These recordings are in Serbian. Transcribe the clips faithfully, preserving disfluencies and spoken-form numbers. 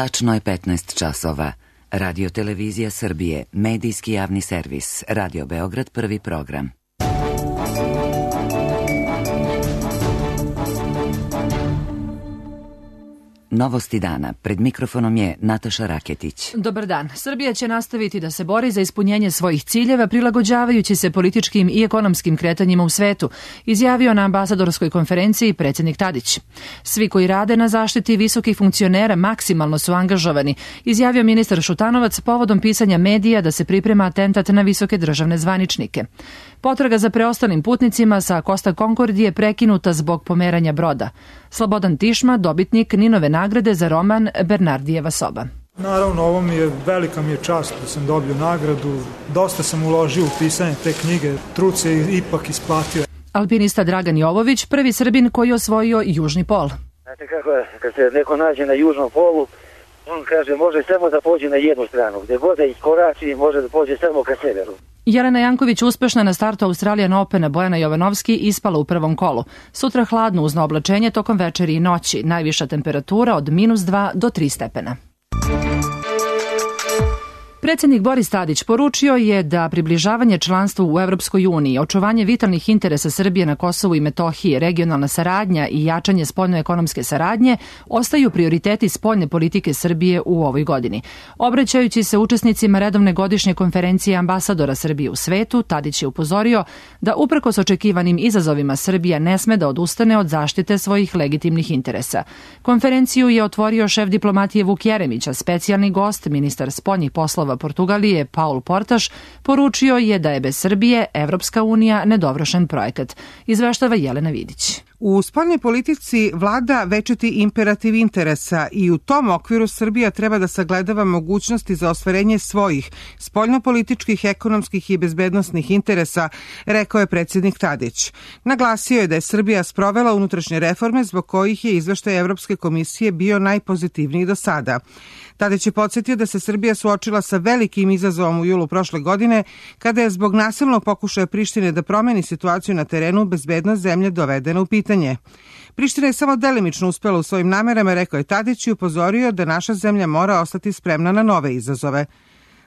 Tačno je petnaest časova. Radio Televizija Srbije, medijski javni servis, Radio Beograd, prvi program. Novosti dana. Pred mikrofonom je Nataša Raketić. Dobar dan. Srbija će nastaviti da se bori za ispunjenje svojih ciljeva prilagođavajući se političkim i ekonomskim kretanjima u svetu, izjavio na ambasadorskoj konferenciji predsjednik Tadić. Svi koji rade na zaštiti visokih funkcionera maksimalno su angažovani, izjavio ministar Šutanovac povodom pisanja medija da se priprema atentat na visoke državne zvaničnike. Potraga za preostalim putnicima sa Costa Concordije je prekinuta zbog pomeranja broda. Slobodan Tišma, dobitnik Ninove nagrade za roman Bernardijeva soba. Naravno, ovo mi je, velika mi je čast da sam dobio nagradu. Dosta sam uložio u pisanje te knjige, trud se ipak isplatio. Alpinista Dragan Jovović, prvi Srbin koji je osvojio južni pol. Znate kako je, kad se neko nađe na južnom polu, on kaže može samo da pođe na jednu stranu, gde god da iskorači može da pođe samo ka severu. Jelena Janković uspešna na startu Australian Opena, Bojana Jovanovski ispala u prvom kolu. Sutra hladno uzno oblačenje tokom večeri i noći, najviša temperatura od minus dva do tri stepena. Predsjednik Boris Tadić poručio je da približavanje članstvu u Evropskoj uniji, očuvanje vitalnih interesa Srbije na Kosovu i Metohiji, regionalna saradnja i jačanje spoljno-ekonomske saradnje ostaju prioriteti spoljne politike Srbije u ovoj godini. Obraćajući se učesnicima redovne godišnje konferencije ambasadora Srbije u svetu, Tadić je upozorio da uprkos očekivanim izazovima Srbija ne sme da odustane od zaštite svojih legitimnih interesa. Konferenciju je otvorio šef diplomatije Vuk Jeremić, a specijalni gost, ministar spoljnih poslova Portugalije Paul Portaš, poručio je da je bez Srbije Evropska unija nedovršen projekat. Izveštava Jelena Vidić. U spoljnoj politici vlada večiti imperativ interesa i u tom okviru Srbija treba da sagledava mogućnosti za ostvarenje svojih spoljnopolitičkih, ekonomskih i bezbednosnih interesa, rekao je predsjednik Tadić. Naglasio je da je Srbija sprovela unutrašnje reforme zbog kojih je izveštaj Evropske komisije bio najpozitivniji do sada. Tadić je podsjetio da se Srbija suočila sa velikim izazovom u julu prošle godine, kada je zbog nasilnog pokušaja Prištine da promeni situaciju na terenu bezbednost zemlje dovedena u pitanje. Priština je samo delimično uspela u svojim namerama, rekao je Tadić i upozorio da naša zemlja mora ostati spremna na nove izazove.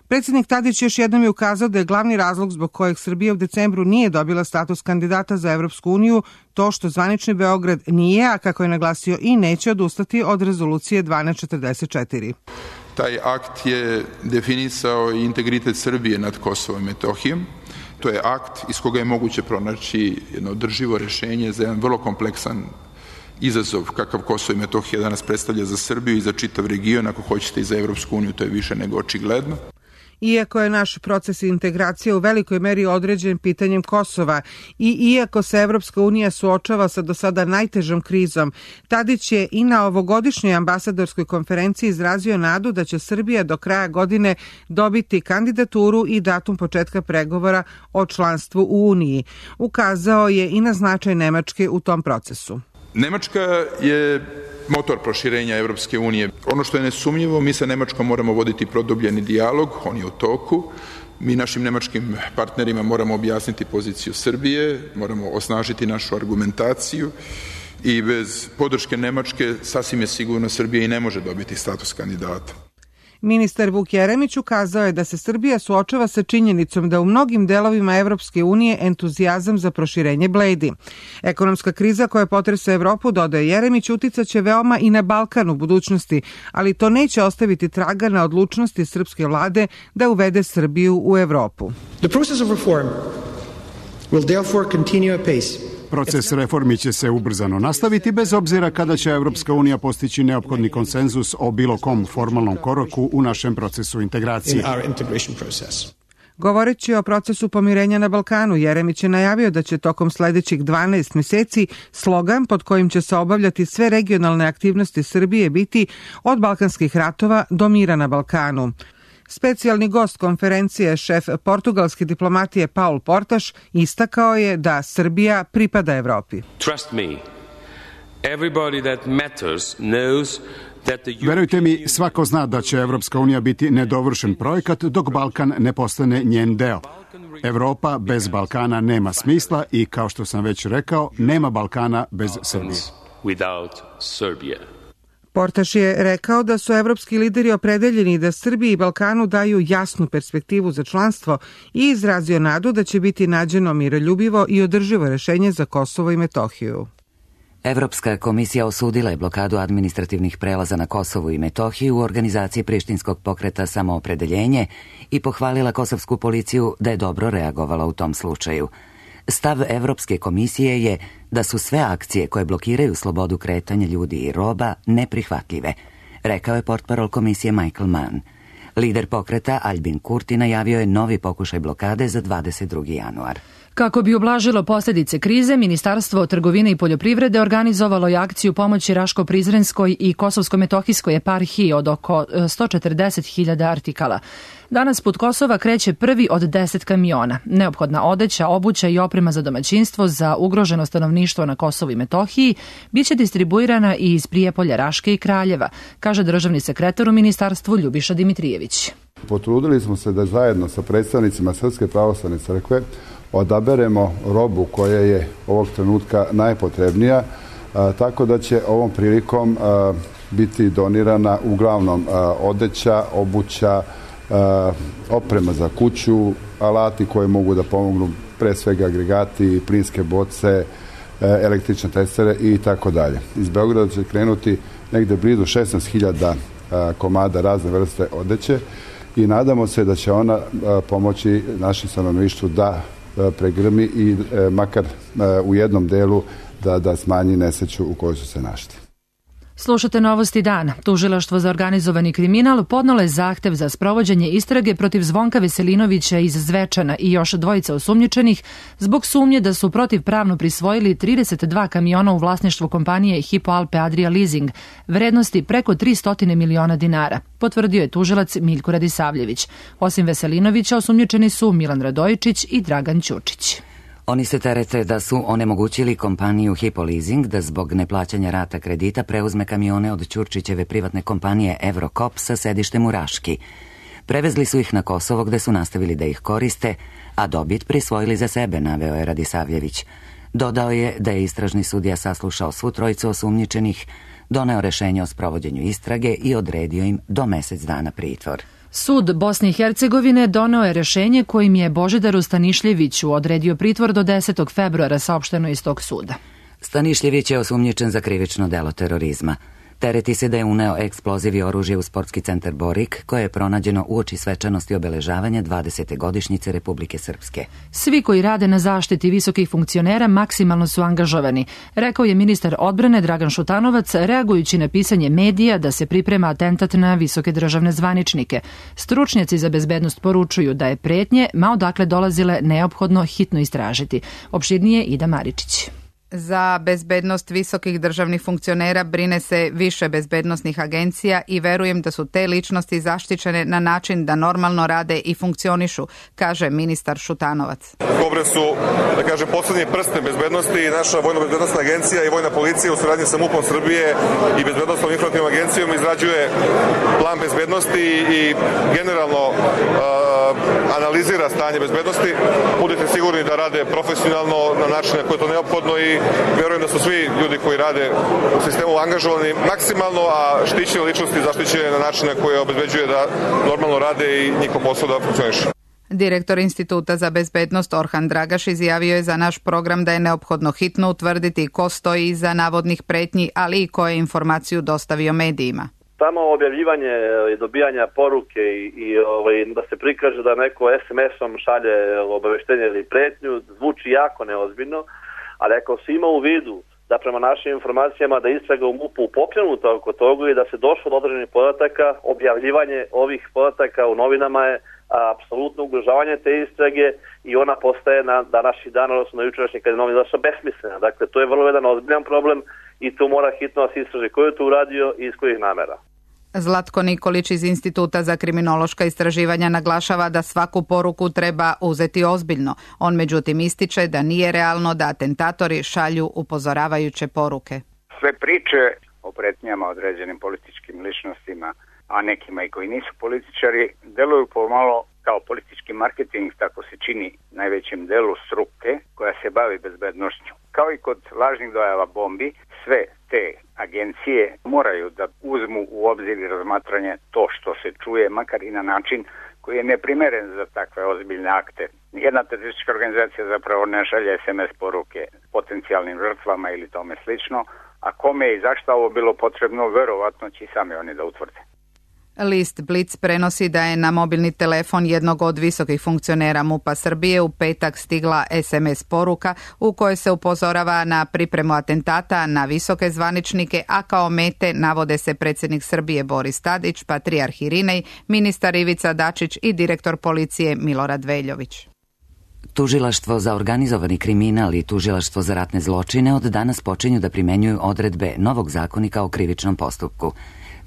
Predsjednik Tadić još jednom je ukazao da je glavni razlog zbog kojeg Srbija u decembru nije dobila status kandidata za Evropsku uniju to što zvanični Beograd nije, a kako je naglasio i neće odustati od rezolucije dvanaest četrdeset četiri. Taj akt je definisao i integritet Srbije nad Kosovom i Metohijom. To je akt iz koga je moguće pronaći jedno održivo rešenje za jedan vrlo kompleksan izazov kakav Kosovo i Metohija danas predstavlja za Srbiju i za čitav region, ako hoćete i za Evropsku uniju, to je više nego očigledno. Iako je naš proces integracije u velikoj meri određen pitanjem Kosova i iako se Evropska unija suočava sa do sada najtežom krizom, Tadić je i na ovogodišnjoj ambasadorskoj konferenciji izrazio nadu da će Srbija do kraja godine dobiti kandidaturu i datum početka pregovora o članstvu u Uniji. Ukazao je i na značaj Nemačke u tom procesu. Nemačka je motor proširenja Evropske unije. Ono što je nesumnjivo, mi sa Nemačkom moramo voditi produbljeni dijalog, on je u toku. Mi našim nemačkim partnerima moramo objasniti poziciju Srbije, moramo osnažiti našu argumentaciju i bez podrške Nemačke sasvim je sigurno Srbija i ne može dobiti status kandidata. Ministar Vuk Jeremić ukazao je da se Srbija suočava sa činjenicom da u mnogim delovima Evropske unije entuzijazam za proširenje bledi. Ekonomska kriza koja potresa Evropu, dodaje Jeremić, uticaće veoma i na Balkan u budućnosti, ali to neće ostaviti traga na odlučnosti srpske vlade da uvede Srbiju u Evropu. The process of reform will therefore continue apace. Proces reformi će se ubrzano nastaviti bez obzira kada će Evropska unija postići neophodni konsenzus o bilo kom formalnom koraku u našem procesu integracije. Govoreći o procesu pomirenja na Balkanu, Jeremić je najavio da će tokom sledećih dvanaest meseci slogan pod kojim će se obavljati sve regionalne aktivnosti Srbije biti od balkanskih ratova do mira na Balkanu. Specijalni gost konferencije, šef portugalske diplomatije Paul Portaš, istakao je da Srbija pripada Evropi. Trust me, everybody that matters knows that the Verujte mi, svako zna da će Evropska unija biti nedovršen projekat dok Balkan ne postane njen deo. Evropa bez Balkana nema smisla i, kao što sam već rekao, nema Balkana bez Srbije. Without Serbia. Portaš je rekao da su evropski lideri opredeljeni da Srbiji i Balkanu daju jasnu perspektivu za članstvo i izrazio nadu da će biti nađeno miroljubivo i održivo rešenje za Kosovo i Metohiju. Evropska komisija osudila je blokadu administrativnih prelaza na Kosovu i Metohiju u organizaciji prištinskog pokreta Samoopredeljenje i pohvalila kosovsku policiju da je dobro reagovala u tom slučaju. Stav Evropske komisije je da su sve akcije koje blokiraju slobodu kretanja ljudi i roba neprihvatljive, rekao je portparol komisije Michael Mann. Lider pokreta Albin Kurti najavio je novi pokušaj blokade za dvadeset drugi januar. Kako bi ublažilo posljedice krize, Ministarstvo trgovine i poljoprivrede organizovalo je akciju pomoći Raško-Prizrenskoj i Kosovsko-Metohijskoj eparhiji od oko sto četrdeset hiljada artikala. Danas put Kosova kreće prvi od deset kamiona. Neophodna odeća, obuća i oprema za domaćinstvo za ugroženo stanovništvo na Kosovu i Metohiji biće distribuirana i iz Prijepolja, Raške i Kraljeva, kaže državni sekretar u ministarstvu Ljubiša Dimitrijević. Potrudili smo se da zajedno sa predstavnicima Srpske pravoslavne crkve odaberemo robu koja je ovog trenutka najpotrebnija, a, tako da će ovom prilikom a, biti donirana uglavnom a, odeća, obuća, a, oprema za kuću, alati koje mogu da pomognu, pre svega agregati, plinske boce, a, električne testere i tako dalje. Iz Beograda će krenuti negde blizu šesnaest hiljada komada razne vrste odeće i nadamo se da će ona a, pomoći našem stanovništvu da pregrmi i e, makar e, u jednom delu da, da smanji nesreću u kojoj su se našli. Slušate Novosti dana. Tužilaštvo za organizovani kriminal podnalo je zahtev za sprovođenje istrage protiv Zvonka Veselinovića iz Zvečana i još dvojica osumnjičenih zbog sumnje da su protivpravno prisvojili trideset dva kamiona u vlasništvu kompanije Hypo Alpe Adria Leasing, vrednosti preko tristo miliona dinara, potvrdio je tužilac Miljko Radisavljević. Osim Veselinovića, osumnjičeni su Milan Radojičić i Dragan Ćučić. Oni se terete da su onemogućili kompaniju Hypo Leasing da zbog neplaćanja rata kredita preuzme kamione od Ćurčićeve privatne kompanije Eurocop sa sedištem u Raški. Prevezli su ih na Kosovo gde su nastavili da ih koriste, a dobit prisvojili za sebe, naveo je Radisavljević. Dodao je da je istražni sudija saslušao svu trojicu osumnjičenih, doneo rešenje o sprovođenju istrage i odredio im do mesec dana pritvor. Sud Bosne i Hercegovine doneo je rešenje kojim je Božidaru Stanišljeviću odredio pritvor do desetog februara, saopšteno iz tog suda. Stanišljević je osumnjičen za krivično delo terorizma. Tereti se da je uneo eksploziv i oružje u sportski centar Borik, koje je pronađeno uoči svečanosti obeležavanja dvadesete godišnjice Republike Srpske. Svi koji rade na zaštiti visokih funkcionera maksimalno su angažovani, rekao je ministar odbrane Dragan Šutanovac, reagujući na pisanje medija da se priprema atentat na visoke državne zvaničnike. Stručnjaci za bezbednost poručuju da je pretnje, ma odakle dolazile, neophodno hitno istražiti. Opširnije Ida Maričić. Za bezbednost visokih državnih funkcionera brine se više bezbednosnih agencija i verujem da su te ličnosti zaštićene na način da normalno rade i funkcionišu, kaže ministar Šutanovac. Kobre su, da kažem, poslednji prste bezbednosti i naša vojno-bezbednostna agencija i vojna policija u saradnji sa MUP-om Srbije i bezbednostnom informativnom agencijom izrađuje plan bezbednosti i generalno uh, analizira stanje bezbednosti. Budite sigurni da rade profesionalno na način na koji je to neophodno i verujem da su svi ljudi koji rade u sistemu angažovani maksimalno, a štićene ličnosti zaštićene na način na koji obezbeđuje da normalno rade i njihov posao da funkcioniše. Direktor Instituta za bezbednost Orhan Dragaš izjavio je za naš program da je neophodno hitno utvrditi ko stoji iza navodnih pretnji, ali i ko je informaciju dostavio medijima. Samo objavljivanje i dobijanja poruke i, i ovaj, da se prikaže da neko es em esom šalje obaveštenje ili pretnju zvuči jako neozbiljno, ali ako se ima u vidu da prema našim informacijama da istraga u MUP-u pokrenuta oko toga i da se došlo do određenih podataka, objavljivanje ovih podataka u novinama je apsolutno ugrožavanje te istrage i ona postaje na današnji dan, odnosno na jučerašnji kad je novina došla, besmislena. Dakle, to je vrlo jedan ozbiljan problem i tu mora hitno da se istraži ko je to uradio i iz kojih namera. Zlatko Nikolić iz Instituta za kriminološka istraživanja naglašava da svaku poruku treba uzeti ozbiljno. On međutim ističe da nije realno da atentatori šalju upozoravajuće poruke. Sve priče o pretnjama određenim političkim ličnostima, a nekima i koji nisu političari, deluju pomalo kao politički marketing, tako se čini najvećem delu struke koja se bavi bavi bezbednošću. Kao i kod lažnih dojava bombi, sve te agencije moraju da uzmu u obzir i razmatranje to što se čuje, makar i na način koji je neprimeren za takve ozbiljne akte. Jedna teroristička organizacija zapravo ne šalje es em es poruke potencijalnim žrtvama ili tome slično, a kome i zašto ovo bilo potrebno, verovatno će sami oni da utvrde. List Blitz prenosi da je na mobilni telefon jednog od visokih funkcionera MUP-a Srbije u petak stigla es em es poruka u kojoj se upozorava na pripremu atentata na visoke zvaničnike, a kao mete navode se predsjednik Srbije Boris Tadić, patrijarh Irinej, ministar Ivica Dačić i direktor policije Milorad Veljović. Tužilaštvo za organizovani kriminal i Tužilaštvo za ratne zločine od danas počinju da primenjuju odredbe novog zakonika o krivičnom postupku.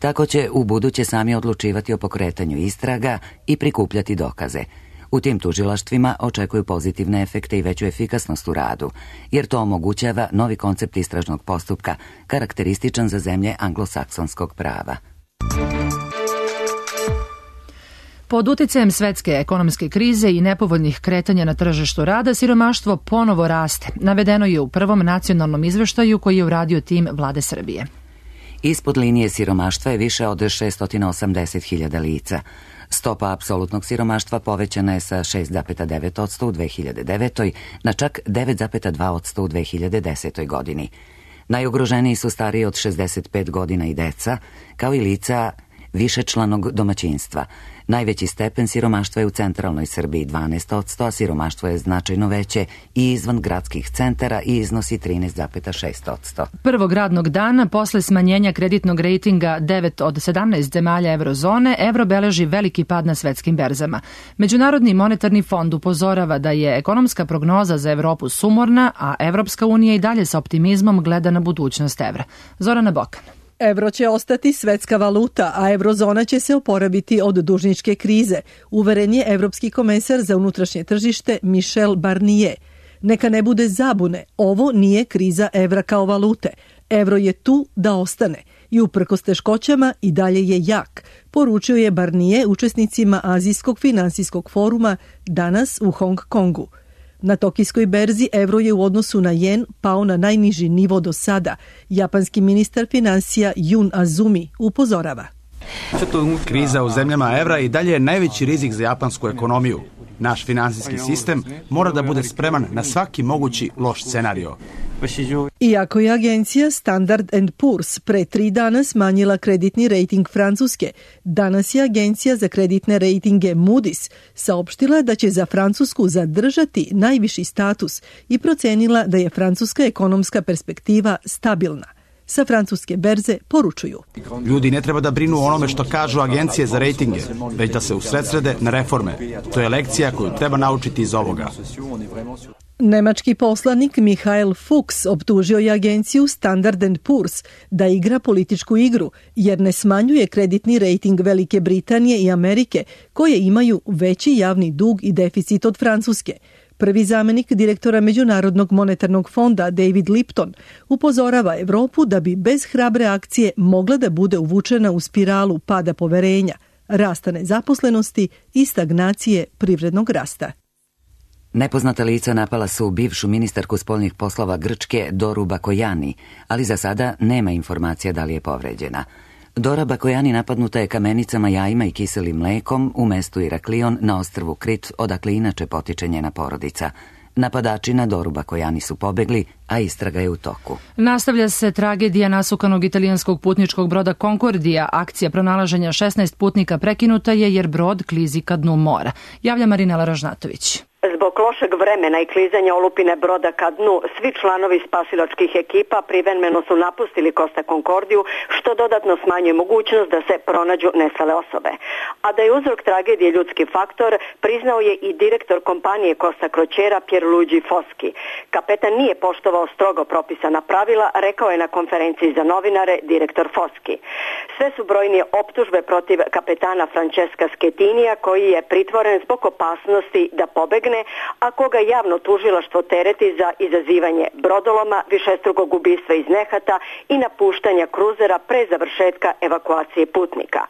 Tako će u buduće sami odlučivati o pokretanju istraga i prikupljati dokaze. U tim tužilaštvima očekuju pozitivne efekte i veću efikasnost u radu, jer to omogućava novi koncept istražnog postupka, karakterističan za zemlje anglosaksonskog prava. Pod uticajem svetske ekonomske krize i nepovoljnih kretanja na tržištu rada, siromaštvo ponovo raste. Navedeno je u prvom nacionalnom izveštaju koji je uradio tim Vlade Srbije. Ispod linije siromaštva je više od šesto osamdeset hiljada lica. Stopa apsolutnog siromaštva povećana je sa šest zarez devet posto u dve hiljade devetoj na čak devet zarez dva posto u dve hiljade desetoj godini. Najugroženiji su stariji od šezdeset pet godina i deca, kao i lica višečlanog domaćinstva. Najveći stepen siromaštva je u centralnoj Srbiji dvanaest posto, a siromaštvo je značajno veće i izvan gradskih centara i iznosi trinaest zarez šest posto. Prvog radnog dana, posle smanjenja kreditnog rejtinga devet od sedamnaest zemalja eurozone, evro beleži veliki pad na svetskim berzama. Međunarodni monetarni fond upozorava da je ekonomska prognoza za Evropu sumorna, a Evropska unija i dalje sa optimizmom gleda na budućnost evra. Zorana Bokan. Evro će ostati svetska valuta, a eurozona će se oporaviti od dužničke krize, uveren je evropski komesar za unutrašnje tržište Michel Barnier. Neka ne bude zabune, ovo nije kriza evra kao valute. Evro je tu da ostane i uprkos teškoćama i dalje je jak, poručio je Barnier učesnicima Azijskog finansijskog foruma danas u Hong Kongu. Na tokijskoj berzi evro je u odnosu na jen pao na najniži nivo do sada. Japanski ministar finansija Jun Azumi upozorava. Kriza u zemljama evra i dalje je najveći rizik za japansku ekonomiju. Naš finansijski sistem mora da bude spreman na svaki mogući loš scenario. Iako je agencija Standard and Poor's pre tri dana smanjila kreditni rejting Francuske, danas je agencija za kreditne rejtinge Moody's saopštila da će za Francusku zadržati najviši status i procenila da je francuska ekonomska perspektiva stabilna. Sa francuske berze poručuju. Ljudi ne treba da brinu o onome što kažu agencije za rejtinge, već da se usredsrede na reforme. To je lekcija koju treba naučiti iz ovoga. Nemački poslanik Michael Fuchs optužio je agenciju Standard and Poor's da igra političku igru, jer ne smanjuje kreditni rejting Velike Britanije i Amerike, koje imaju veći javni dug i deficit od Francuske. Prvi zamenik direktora Međunarodnog monetarnog fonda David Lipton upozorava Evropu da bi bez hrabre akcije mogla da bude uvučena u spiralu pada poverenja, rasta nezaposlenosti i stagnacije privrednog rasta. Nepoznata lica napala su bivšu ministarku spoljnih poslova Grčke Doru Bakojani, ali za sada nema informacija da li je povređena. Dora Bakojani napadnuta je kamenicama, jajima i kiselim mlekom u mestu Iraklion na ostrvu Krit, odakle inače potiče njena porodica. Napadači na Doru Bakojani su pobegli, a istraga je u toku. Nastavlja se tragedija nasukanog italijanskog putničkog broda Concordija. Akcija pronalaženja šesnaest putnika prekinuta je jer brod klizi ka dnu mora. Javlja Marinela Ražnatović. Zbog lošeg vremena i klizanja olupine broda ka dnu, svi članovi spasilačkih ekipa privremeno su napustili Costa Concordiju, što dodatno smanjuje mogućnost da se pronađu nestale osobe. A da je uzrok tragedije ljudski faktor, priznao je i direktor kompanije Costa Crociera Pierluigi Foschi. Kapetan nije poštovao strogo propisana pravila, rekao je na konferenciji za novinare direktor Foschi. Sve su brojnije optužbe protiv kapetana Francesca Schettinija, koji je pritvoren zbog opasnosti da pobegne izbegne, a koga javno tužilaštvo tereti za izazivanje brodoloma, višestrukog ubistva iz nehata i napuštanja kruzera pre završetka evakuacije putnika.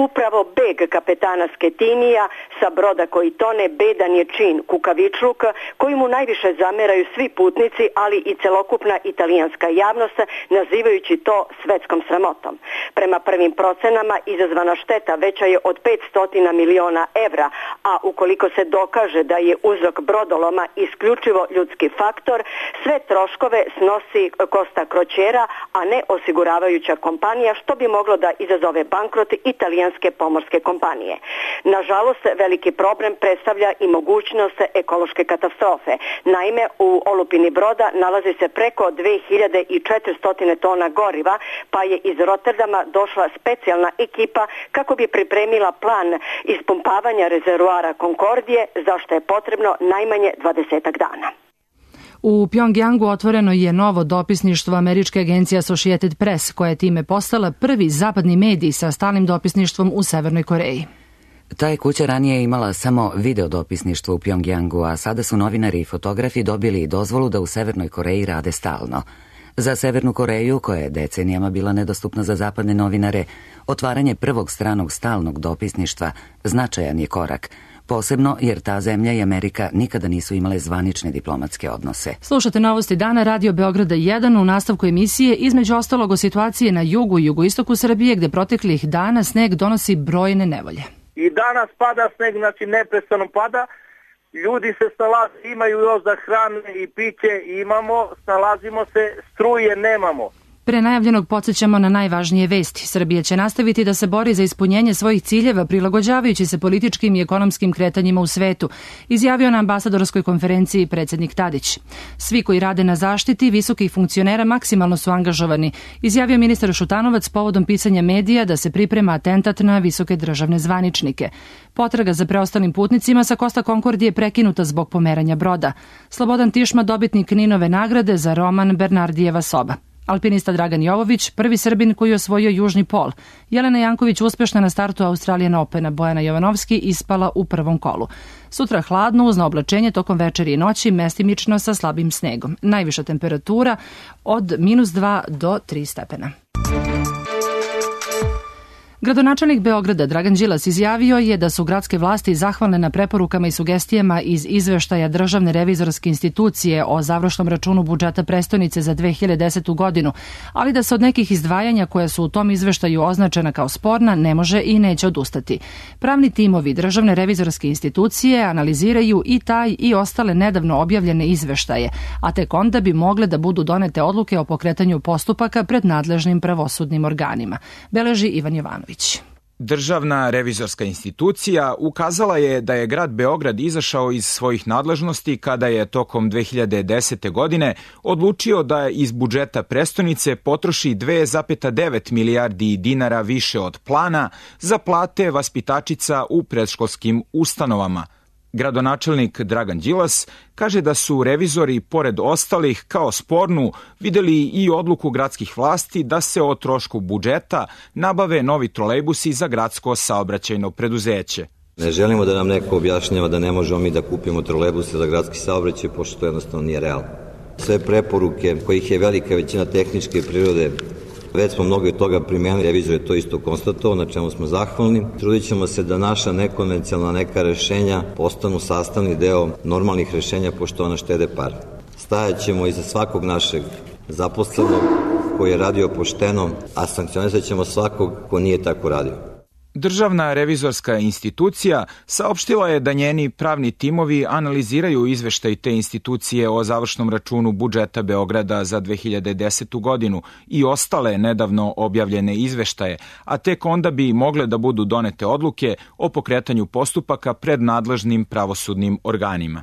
Upravo beg kapetana Sketinija sa broda koji tone bedan je čin kukavičluk koji mu najviše zameraju svi putnici, ali i celokupna italijanska javnost, nazivajući to svetskom sramotom. Prema prvim procenama izazvana šteta veća je od petsto miliona evra, a ukoliko se dokaže da je uzrok brodoloma isključivo ljudski faktor, sve troškove snosi Costa Crociera, a ne osiguravajuća kompanija, što bi moglo da izazove bankrot italijanske pomorske kompanije. Nažalost, veliki problem predstavlja i mogućnost ekološke katastrofe. Naime, u olupini broda nalazi se preko dve hiljade četiristo tona goriva, pa je iz Rotterdama došla specijalna ekipa kako bi pripremila plan ispumpavanja rezervoara Concordije, za što je potrebno najmanje dvadesetak dana. U Pjongjangu otvoreno je novo dopisništvo američke agencije Associated Press, koja je time postala prvi zapadni medij sa stalnim dopisništvom u Severnoj Koreji. Ta je kuća ranije imala samo video dopisništvo u Pjongjangu, a sada su novinari i fotografi dobili dozvolu da u Severnoj Koreji rade stalno. Za Severnu Koreju, koja je decenijama bila nedostupna za zapadne novinare, otvaranje prvog stranog stalnog dopisništva značajan je korak, posebno jer ta zemlja i Amerika nikada nisu imale zvanične diplomatske odnose. Slušate Novosti dana Radio Beograda jedan. U nastavku emisije između ostalog o situacije na jugu i jugoistoku Srbije, gde proteklih dana sneg donosi brojne nevolje. I danas pada sneg, znači neprestano pada. Ljudi se snalaze, imaju još za hrane i piće, imamo, snalazimo se, struje nemamo. Pre najavljenog podsjećamo na najvažnije vesti. Srbija će nastaviti da se bori za ispunjenje svojih ciljeva prilagođavajući se političkim i ekonomskim kretanjima u svetu, izjavio na ambasadorskoj konferenciji predsjednik Tadić. Svi koji rade na zaštiti visokih funkcionera maksimalno su angažovani, izjavio ministar Šutanovac povodom pisanja medija da se priprema atentat na visoke državne zvaničnike. Potraga za preostalim putnicima sa Costa Concordije prekinuta zbog pomeranja broda. Slobodan Tišma, dobitnik Ninove nagrade za roman Bernardijeva soba. Alpinista Dragan Jovović, prvi Srbin koji je osvojio južni pol. Jelena Janković uspešna na startu Australian Opena. Bojana Jovanovski ispala u prvom kolu. Sutra hladno uz oblačenje tokom večeri i noći, mestimično sa slabim snegom. Najviša temperatura od minus dva do tri stepena. Gradonačelnik Beograda Dragan Đilas izjavio je da su gradske vlasti zahvalne na preporukama i sugestijama iz izveštaja Državne revizorske institucije o završnom računu budžeta prestonice za dve hiljade desetu godinu, ali da se od nekih izdvajanja koja su u tom izveštaju označena kao sporna ne može i neće odustati. Pravni timovi Državne revizorske institucije analiziraju i taj i ostale nedavno objavljene izveštaje, a tek onda bi mogle da budu donete odluke o pokretanju postupaka pred nadležnim pravosudnim organima, beleži Ivan Jovanović. Državna revizorska institucija ukazala je da je grad Beograd izašao iz svojih nadležnosti kada je tokom dve hiljade desete. godine odlučio da iz budžeta prestonice potroši dve zarez devet milijardi dinara više od plana za plate vaspitačica u predškolskim ustanovama. Gradonačelnik Dragan Đilas kaže da su revizori, pored ostalih, kao spornu videli i odluku gradskih vlasti da se o trošku budžeta nabave novi trolejbusi za gradsko saobraćajno preduzeće. Ne želimo da nam neko objašnjava da ne možemo mi da kupimo trolejbuse za gradski saobraćaj, pošto to jednostavno nije realno. Sve preporuke, kojih je velika većina tehničke prirode, već smo mnogo od toga primenili, revizor je to isto konstatovao, na čemu smo zahvalni. Trudit ćemo se da naša nekonvencionalna neka rešenja postanu sastavni deo normalnih rešenja, pošto ona štede par. Stajat ćemo iza svakog našeg zaposlenog koji je radio pošteno, a sankcionisat ćemo svakog ko nije tako radio. Državna revizorska institucija saopštila je da njeni pravni timovi analiziraju izveštaj te institucije o završnom računu budžeta Beograda za dve hiljade desetu. godinu i ostale nedavno objavljene izveštaje, a tek onda bi mogle da budu donete odluke o pokretanju postupaka pred nadležnim pravosudnim organima.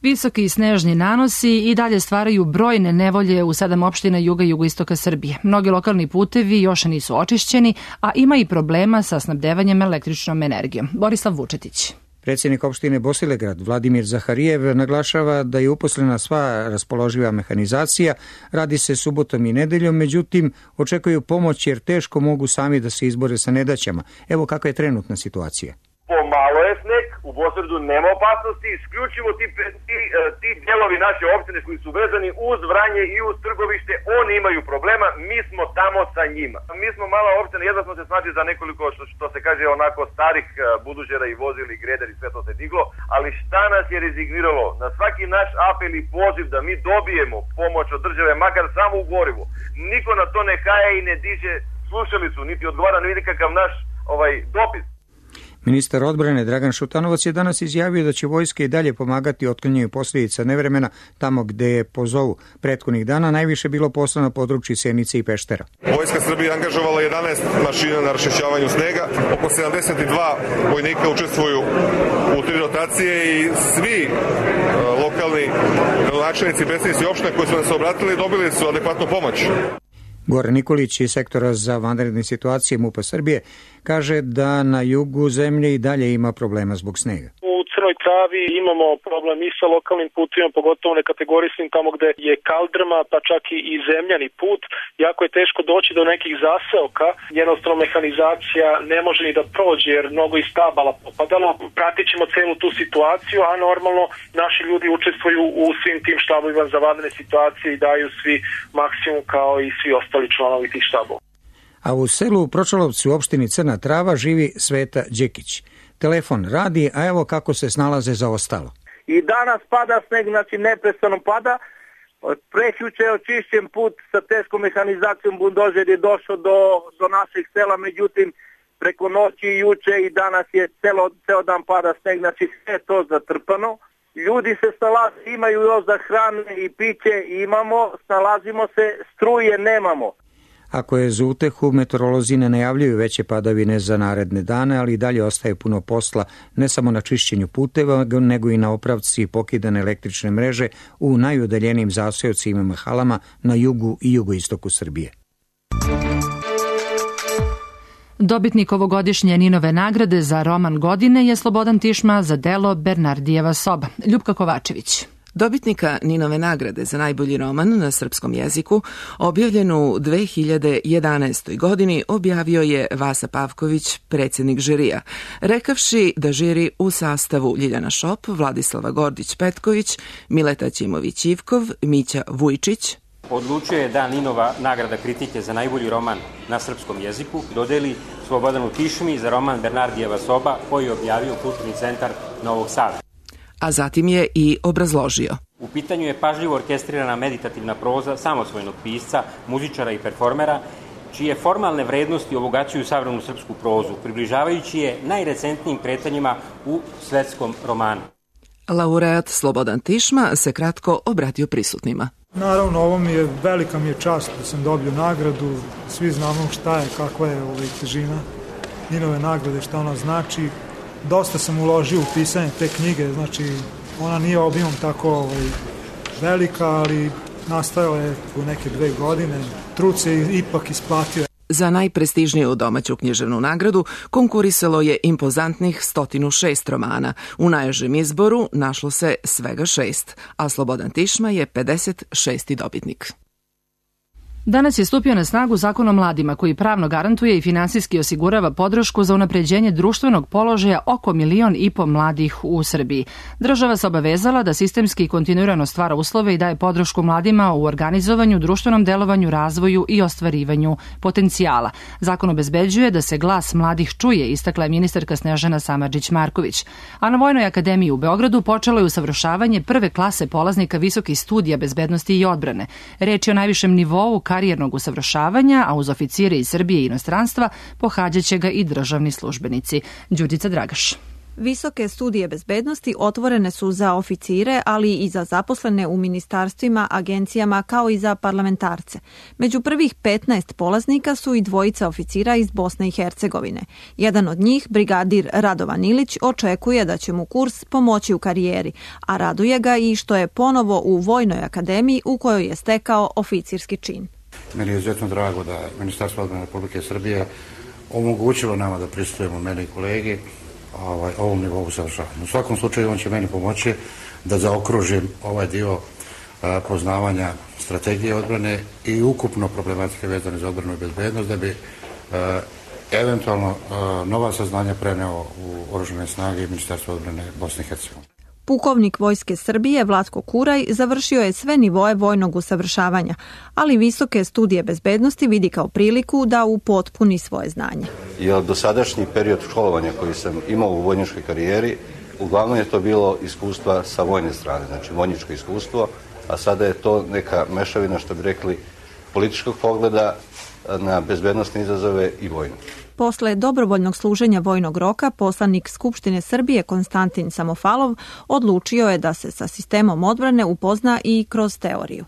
Visoki snežni nanosi i dalje stvaraju brojne nevolje u sedam opština juga i jugoistoka Srbije. Mnogi lokalni putevi još nisu očišćeni, a ima i problema sa snabdevanjem električnom energijom. Borislav Vučetić. Predsjednik opštine Bosilegrad Vladimir Zaharijev naglašava da je uposlena sva raspoloživa mehanizacija, radi se subotom i nedeljom, međutim očekuju pomoć jer teško mogu sami da se izbore sa nedaćama. Evo kakva je trenutna situacija. Pomalo je sneg, u Bosredu nema opasnosti, isključivo ti, ti, ti dijelovi naše opštine koji su vezani uz Vranje i uz Trgovište, oni imaju problema, mi smo tamo sa njima. Mi smo mala opština, jedva smo se snaći za nekoliko, što, što se kaže, onako starih budužera i vozili, greder i sve to se diglo, ali šta nas je rezigniralo? Na svaki naš apel i poziv da mi dobijemo pomoć od države, makar samo u gorivu. Niko na to ne kaje i ne diže slušalicu, niti odgovara na nikakav naš ovaj dopis. Ministar odbrane Dragan Šutanovac je danas izjavio da će vojska i dalje pomagati otklanjanju posljedica nevremena tamo gde je pozovu. Prethodnih dana najviše bilo posla na području Sjenice i Peštera. Vojska Srbije angažovala jedanaest mašina na raščišćavanju snega, oko sedamdeset dva vojnika učestvuju u tri rotacije i svi uh, lokalni gradonačelnici i predstavnici opština koji su nas obratili dobili su adekvatnu pomoć. Goran Nikolić iz sektora za vanredne situacije MUP-a Srbije kaže da na jugu zemlje i dalje ima problema zbog snega. U Crnoj Travi imamo problem i sa lokalnim putima, pogotovo nekategorisnim tamo gde je kaldrma, pa čak i zemljani put. Jako je teško doći do nekih zaseoka, jednostavno mehanizacija ne može ni da prođe jer mnogo iz stabala popadalo. Pratit ćemo celu tu situaciju, a normalno naši ljudi učestvuju u svim tim štabovima za vanredne situacije i daju svi maksimum kao i svi ostali članovi tih štabova. A u selu u Pročalovcu u opštini Crna Trava živi Sveta Đekić. Telefon radi, a evo kako se snalaze za ostalo. I danas pada sneg, znači neprestano pada. Prekjuče je očišćen put sa teškom mehanizacijom, buldožer je došao do, do naših sela, međutim preko noći i juče i danas je celo, ceo dan pada sneg, znači sve to zatrpano. Ljudi se snalaze, imaju još za hrane i piće, imamo, snalazimo se, struje nemamo. Ako je za utehu, meteorolozi ne najavljuju veće padavine za naredne dane, ali i dalje ostaje puno posla ne samo na čišćenju puteva, nego i na opravci pokidane električne mreže u najudaljenijim zaseocima i mahalama na jugu i jugoistoku Srbije. Dobitnik ovogodišnje Ninove nagrade za roman godine je Slobodan Tišma za delo Bernardijeva soba. Ljupka Kovačević. Dobitnika Ninove nagrade za najbolji roman na srpskom jeziku, objavljen u dve hiljade jedanaestoj. godini, objavio je Vasa Pavković, predsjednik žirija, rekavši da žiri u sastavu Ljiljana Šop, Vladislava Gordić-Petković, Mileta Ćimović-Ivkov, Mića Vujčić, odlučio je da Ninova nagrada kritike za najbolji roman na srpskom jeziku dodeli Slobodanu Tišmi za roman Bernardijeva soba, koji je objavio Kulturni centar Novog Sada. A zatim je i obrazložio. U pitanju je pažljivo orkestrirana meditativna proza samosvojnog pisca, muzičara i performera, čije formalne vrednosti obogaćuju savremenu srpsku prozu, približavajući je najrecentnijim kretanjima u svetskom romanu. Laureat Slobodan Tišma se kratko obratio prisutnima. Naravno, ovo mi je, velika mi je čast da sam dobio nagradu, svi znamo šta je, kakva je ovaj težina Ninove nagrade, šta ona znači. Dosta sam uložio u pisanje te knjige, znači ona nije obimom tako ovaj, velika, ali nastajala je u neke dve godine. Trud se ipak isplatio. Za najprestižniju domaću književnu nagradu konkurisalo je impozantnih sto šest romana. U najužem izboru našlo se svega šest, a Slobodan Tišma je pedeset šesti dobitnik. Danas je stupio na snagu Zakon o mladima koji pravno garantuje i finansijski osigurava podršku za unapređenje društvenog položaja oko milion i po mladih u Srbiji. Država se obavezala da sistemski i kontinuirano stvara uslove i daje podršku mladima u organizovanju, društvenom delovanju, razvoju i ostvarivanju potencijala. Zakon obezbeđuje da se glas mladih čuje, istakla je ministarka Snežana Samardžić-Marković. A na Vojnoj akademiji u Beogradu počelo je usavršavanje prve klase polaznika visokih studija bezbednosti i odbrane. Reč je o najvišem nivou karijernog usavršavanja, a uz oficire iz Srbije i inostranstva pohađaće ga i državni službenici. Đurđica Dragaš. Visoke studije bezbednosti otvorene su za oficire, ali i za zaposlene u ministarstvima, agencijama, kao i za parlamentarce. Među prvih petnaest polaznika su i dvojica oficira iz Bosne i Hercegovine. Jedan od njih, brigadir Radovan Ilić, očekuje da će mu kurs pomoći u karijeri, a raduje ga i što je ponovo u Vojnoj akademiji u kojoj je stekao oficirski čin. Meni je izuzetno drago da Ministarstvo odbrane Republike Srbije omogućilo nama da pristupujemo meni i kolegi ovaj, ovom nivou usavršavanja. U svakom slučaju on će meni pomoći da zaokružim ovaj dio a, poznavanja strategije odbrane i ukupno problematike vezane za odbranu i bezbednost, da bi a, eventualno nova saznanja preneo u oružane snage i Ministarstvo odbrane Bosne i Hercegovine. Pukovnik Vojske Srbije Vlatko Kuraj završio je sve nivoe vojnog usavršavanja, ali visoke studije bezbednosti vidi kao priliku da upotpuni svoje znanje. Jer dosadašnji period školovanja koji sam imao u vojničkoj karijeri, uglavnom je to bilo iskustva sa vojne strane, znači vojničko iskustvo, a sada je to neka mešavina, što bi rekli, političkog pogleda na bezbednostne izazove i vojnu. Posle dobrovoljnog služenja vojnog roka, poslanik Skupštine Srbije Konstantin Samofalov odlučio je da se sa sistemom odbrane upozna i kroz teoriju.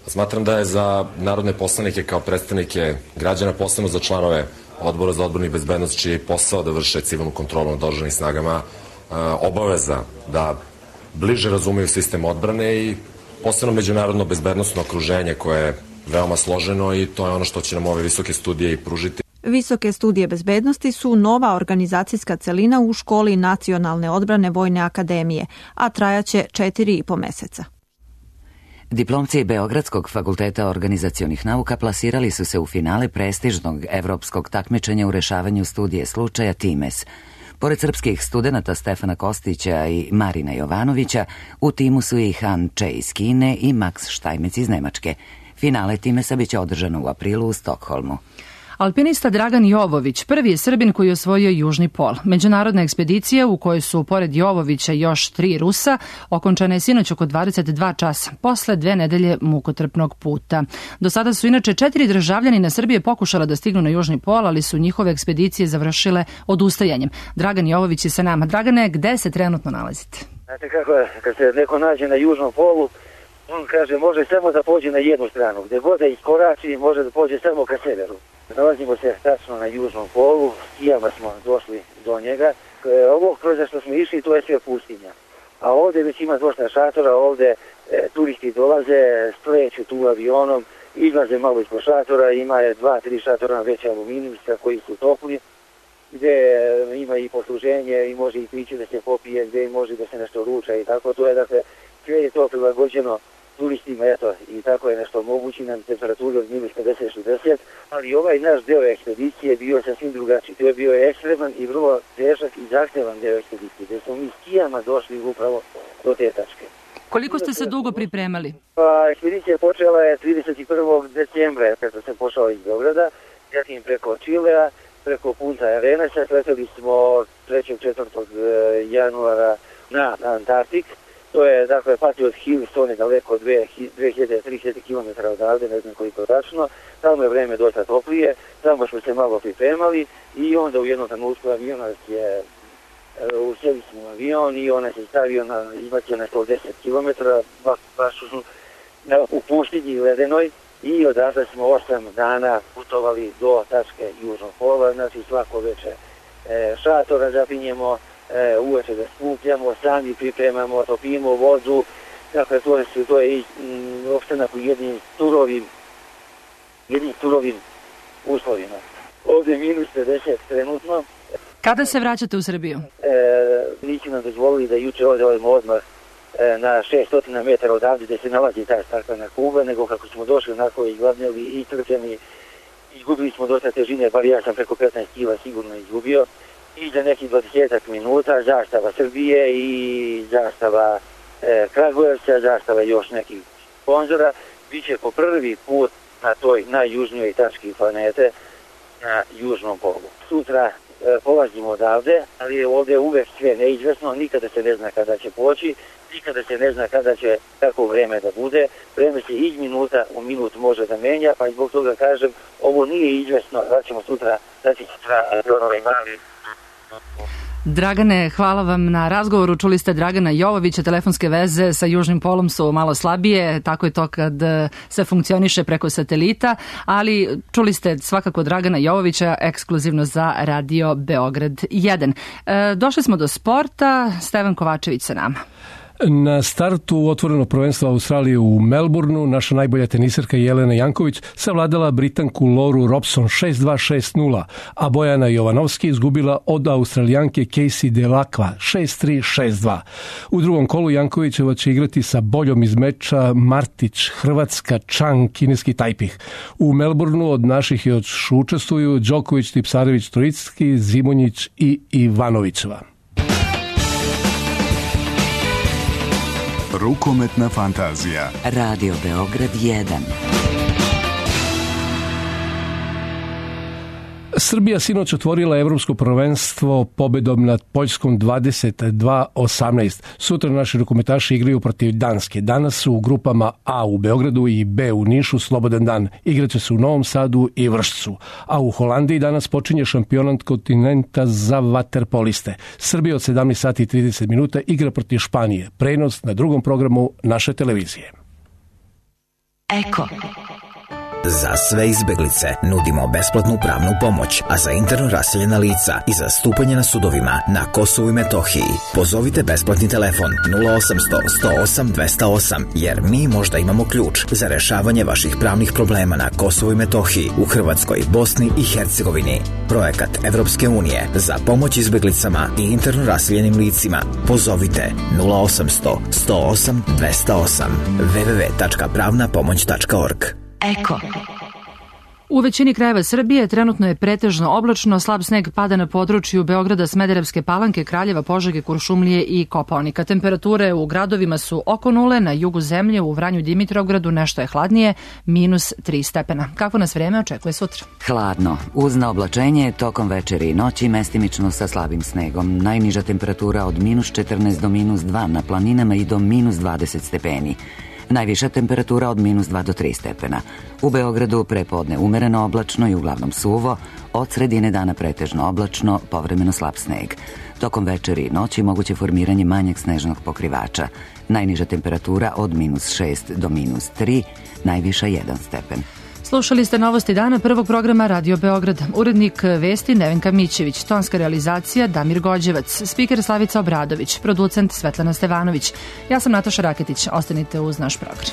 Smatram da je za narodne poslanike kao predstavnike građana, posebno za članove Odbora za odbranu i bezbednost, čiji je posao da vrše civilnu kontrolu nad oružanim snagama, obaveza da bliže razumeju sistem odbrane i posebno međunarodno bezbednostno okruženje koje je veoma složeno i to je ono što će nam ove visoke studije i pružiti. Visoke studije bezbednosti su nova organizacijska celina u školi Nacionalne odbrane Vojne akademije, a trajaće četiri i po meseca. Diplomci Beogradskog fakulteta organizacionih nauka plasirali su se u finale prestižnog evropskog takmičenja u rešavanju studije slučaja Times. Pored srpskih studenata Stefana Kostića i Marina Jovanovića, u timu su i Han Če iz Kine i Max Štajmec iz Nemačke. Finale Timesa biće održano u aprilu u Stokholmu. Alpinista Dragan Jovović prvi je Srbin koji je osvojio južni pol. Međunarodna ekspedicija u kojoj su pored Jovovića još tri Rusa okončana je sinoć oko dvadeset dva časa, posle dve nedelje mukotrpnog puta. Do sada su inače četiri državljanina Srbije pokušala da stignu na južni pol, ali su njihove ekspedicije završile odustajanjem. Dragan Jovović je sa nama. Dragane, gde se trenutno nalazite? Znate kako je, kad se neko nađe na južnom polu, on kaže može samo da pođe na jednu stranu, gde god da iskorači može da pođe samo ka severu. Nalazimo se tačno na južnom polu, skijama smo došli do njega. Ovo kroz što smo išli, to je sve pustinja. A ovde već ima dosta šatora, ovde e, turisti dolaze, sleću tu avionom, izlaze malo ispod šatora, ima je dva, tri šatora veće aluminijska koji su topli, gde e, ima i posluženje i može i piće da se popije, gde može da se nešto ruča i tako. To je, dakle, sve je to prilagođeno turistima, eto, i tako je nešto mogući na temperaturi od minus pedeset šezdeset, ali ovaj naš deo ekspedicije bio sasvim drugačiji. To je bio ekstreman i vrlo težak i zahtevan deo ekspedicije, gde smo mi skijama došli upravo do te tačke. Koliko ste se dugo pripremali? Pa, ekspedicija počela je trideset prvog decembra, kada sam pošao iz Beograda, zatim preko Čilea, preko Punta Arenasa, leteli smo trećeg četvrtog januara na Antarktik. To je, dakle, Patriot Hill, to je daleko dve hiljade do tri hiljade kilometara odavde, ne znam koliko tačno. Tamo je vreme dosta toplije, tamo smo se malo pripremali i onda u jednom trenutku avionac je, usjeli smo u avion i ona se stavio na, izbacio na sto deset kilometara, baš, baš u, u pustinji ledenoj i odatle smo osam dana putovali do tačke južnog pola, znači svako veče e, šatora zapinjemo, E, uveče da skupljamo, sami pripremamo, topimo vodu, dakle to je, to je i m, opstanak u jednim surovim, jednim surovim uslovima. Ovdje je minus pedeset trenutno. Kada se vraćate u Srbiju? E, nisu nam dozvolili da juče odemo odmah e, na šesto metara odavde gde se nalazi ta staklena kuba, nego kako smo došli onako izgladnjeli i trpljeni, izgubili smo dosta težine, bar ja sam preko petnaest kila sigurno izgubio. I za nekih dvadeset minuta zastava Srbije i zastava e, Kragujevca, zastava još nekih sponzora, biće po prvi put na toj najjužnijoj tački planete, na južnom polu. Sutra e, polazimo odavde, ali ovdje je uvek sve neizvesno, nikada se ne zna kada će poći, nikada se ne zna kada će tako vreme da bude, vreme se iz minuta u minut može da menja, pa zbog toga kažem, ovo nije izvesno, da ćemo sutra, da će sutra avionove mali. Dragane, hvala vam na razgovoru. Čuli ste Dragana Jovovića, telefonske veze sa južnim polom su malo slabije, tako je to kad se funkcioniše preko satelita, ali čuli ste svakako Dragana Jovovića ekskluzivno za Radio Beograd jedan. E, došli smo do sporta, Stevan Kovačević sa nama. Na startu otvorenog prvenstva Australije u Melbourneu naša najbolja teniserka Jelena Janković savladala Britanku Loru Robson šest dva šest nula, a Bojana Jovanovski izgubila od Australijanke Casey Delacqua šest tri šest dva. U drugom kolu Jankovićeva će igrati sa boljom iz meča Martić, Hrvatska, Chang, kineski Tajpih. U Melbourneu od naših još učestvuju Đoković, Tipsarević, Trojicki, Zimonjić i Ivanovićeva. Rukometna fantazija. Radio Beograd jedan. Srbija sinoć otvorila evropsko prvenstvo pobedom nad Poljskom dvadeset dva osamnaest. Sutra naši rukometaši igraju protiv Danske. Danas su u grupama A u Beogradu i B u Nišu slobodan dan. Igraće se u Novom Sadu i Vršcu. A u Holandiji danas počinje šampionat kontinenta za vaterpoliste. Srbija od sedamnaest sati i trideset minuta igra protiv Španije. Prenos na drugom programu naše televizije. Eko. Za sve izbeglice nudimo besplatnu pravnu pomoć, a za interno raseljena lica i zastupanje na sudovima na Kosovu i Metohiji pozovite besplatni telefon nula osamsto sto osam dvesta osam, jer mi možda imamo ključ za rešavanje vaših pravnih problema na Kosovu i Metohiji, u Hrvatskoj, Bosni i Hercegovini. Projekat Evropske unije za pomoć izbeglicama i interno raseljenim licima. Pozovite nula osamsto sto osam dvesta osam w w w tačka pravna pomoć tačka org. Eko. U većini krajeva Srbije trenutno je pretežno oblačno, slab sneg pada na području Beograda, Smederevske Palanke, Kraljeva, Požege, Kuršumlije i Kopaonika. Temperature u gradovima su oko nule, na jugu zemlje, u Vranju, Dimitrovgradu nešto je hladnije, minus tri stepena. Kako nas vreme očekuje sutra? Hladno, uz naoblačenje, tokom večeri i noći, mestimično sa slabim snegom. Najniža temperatura od minus četrnaest do minus dva na planinama i do minus dvadeset stepeni. Najviša temperatura od minus dva do tri stepena. U Beogradu prepodne umereno oblačno i uglavnom suvo, od sredine dana pretežno oblačno, povremeno slab sneg. Tokom večeri i noći moguće formiranje manjeg snežnog pokrivača. Najniža temperatura od minus šest do minus tri, najviša jedan stepen. Slušali ste novosti dana prvog programa Radio Beograd. Urednik vesti Nevenka Mićević, tonska realizacija Damir Gođevac, spiker Slavica Obradović, producent Svetlana Stevanović. Ja sam Nataša Raketić, ostanite uz naš program.